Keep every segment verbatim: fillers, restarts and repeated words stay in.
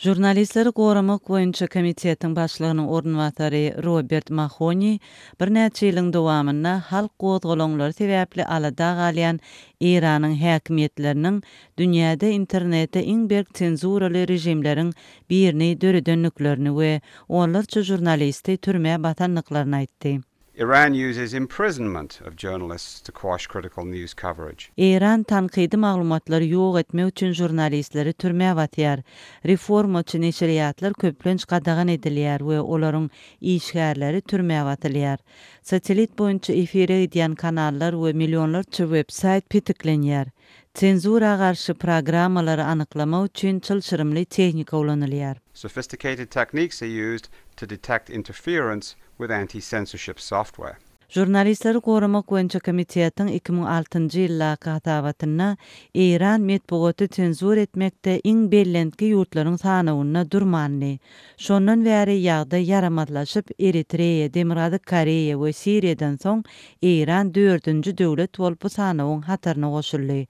Žurnalistleri goramak boýunça komitetiň başlygynyň orunbasary Robert Mahoni birnäçe ýylyň dowamynda halk gozgalaňlary sebäpli alada galýan Eýranyň häkimiýetleriniň dünýäde internete iň berk senzuraly režimleriň birini döredendiklerini we onlarça žurnalisti türmä basandyklaryny aýtdy. Iran uses imprisonment of journalists to quash critical news coverage. Eýran tankydy maglumatlary ýok etmek üçin žurnalistleri türmä basýar. Reformaçy neşirýatlar köplenç gadagan edilýär we olaryň işgärleri türmä basylýar. Satelit boýunça efire gidýän kanallar we millionlarça web-saýt petiklenýär. Senzura garşy programmalary anyklamak üçin çylşyrymly tehnika ulanylýar. Sophisticated techniques are used to detect interference with anti-censorship software. Žurnalistleri goramak boýunça komitetiň iki müň altynjy ýyldaky hasabatynda Eýran metbugaty senzur etmekde iň bellentki ýurtlaryň sanawynda durmandy. Şondan bäri ýagdaý ýaramazlaşyp, Eritreýa, Demirgazyk Koreýa we Siriýadan soň Eýran dördünji döwlet bolup bu sanawyň hataryna goşuldy.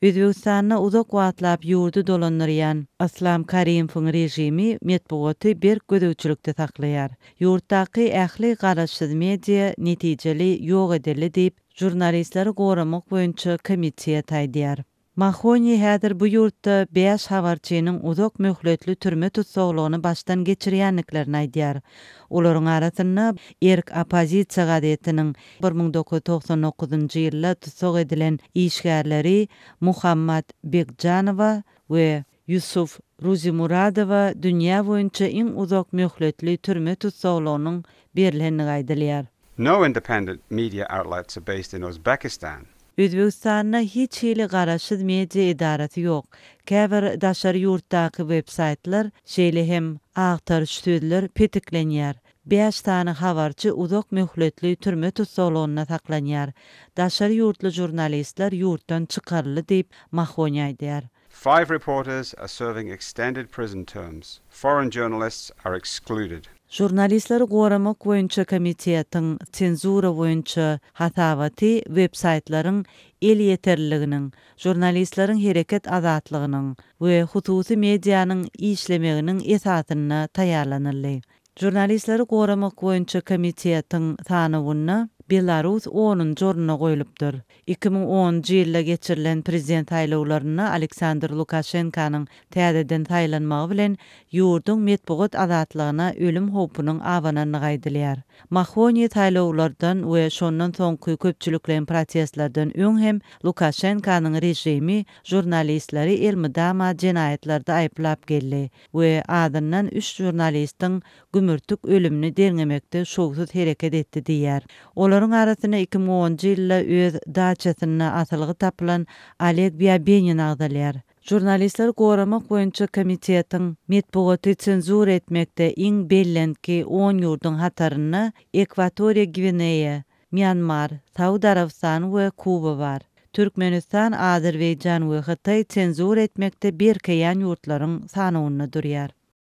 Özbegistanda uzak wagtlap ýurdy dolandyrýan Islam Karimowyň režimi metbugaty berk gözegçilikde saklaýar. Ýurtdaky ähli garaşsyz media netijeli ýok edildi diýip, žurnalistleri goramak boýunça komitet aýdýar. Mahoni häzir bu ýurtda bäş habarçynyň uzak möhletli türme tussaglygyny başdan geçirýändiklerini aýdýar. Olaryň arasynda Erk oppozisiýa gazetiniň bir müň dokuz ýüz togsan dokuzynjy ýylda tussag edilen işgärleri Muhammad Begjanowa we Yusuf Ruzimuradowa dünýä boýunça iň uzak möhletli türme tussaglygynyň berilendigi aýdylýar. No independent media outlets are based in Uzbekistan. Özbegistanda hiç hili garaşsyz media edarasy ýok. Käbir daşary ýurtdaky web-saýtlar, şeýle hem agtaryş sözler petiklenýär. Bäş sany habarçy uzak möhletli türme tutsaglygynda saklanýar. Daşary ýurtly žurnalistler ýurtdan çykaryldy diýip Mahoni aýdýar. Five reporters are serving extended prison terms. Foreign journalists are excluded. Žurnalistleri goramak boýunça komitetiň senzura boýunça hasabaty web-saýtlaryň elýeterliliginiň, žurnalistleriň hereket azatlygynyň we hususy medianyň işlemeginiň esasynda taýýarlanyldy. Žurnalistleri goramak boýunça komitetiň sanawynda Belarus onunjy ornuna goýlupdyr. Iki müň onunjy ýylda geçirilen prezident saýlawlarynda Aleksandr Lukaşenkanyň täzeden saýlanmagy bilen ýurduň metbugat azatlygyna ölüm howpunyň abanandygy aýdylýar. Mahoni saýlawlardan we şondan soňky köpçülikleýin protestlerden öň hem Lukaşenkanyň režimi žurnalistleri elmydama jenaýatlarda aýyplap geldi we azyndan üç žurnalistiň gümürtik ölümini derňemekde şowsuz hereket etdi diýär. Olaryň arasynda iki müň onunjy ýylda öz daçasynda asylgy tapylan Oleg Byabenin agzalýar. Žurnalistleri goramak boýunça komitetiň metbugaty senzura etmekde iň bellentki on ýurduň hatarynda Ekwatoriýa Gwineýa, Myanmar, Saud Arabystany we Kuba bar. Türkmenistan, Azerbaýjan we Hytaý senzura etmekde berkeýän ýurtlaryň sanawynda durýar.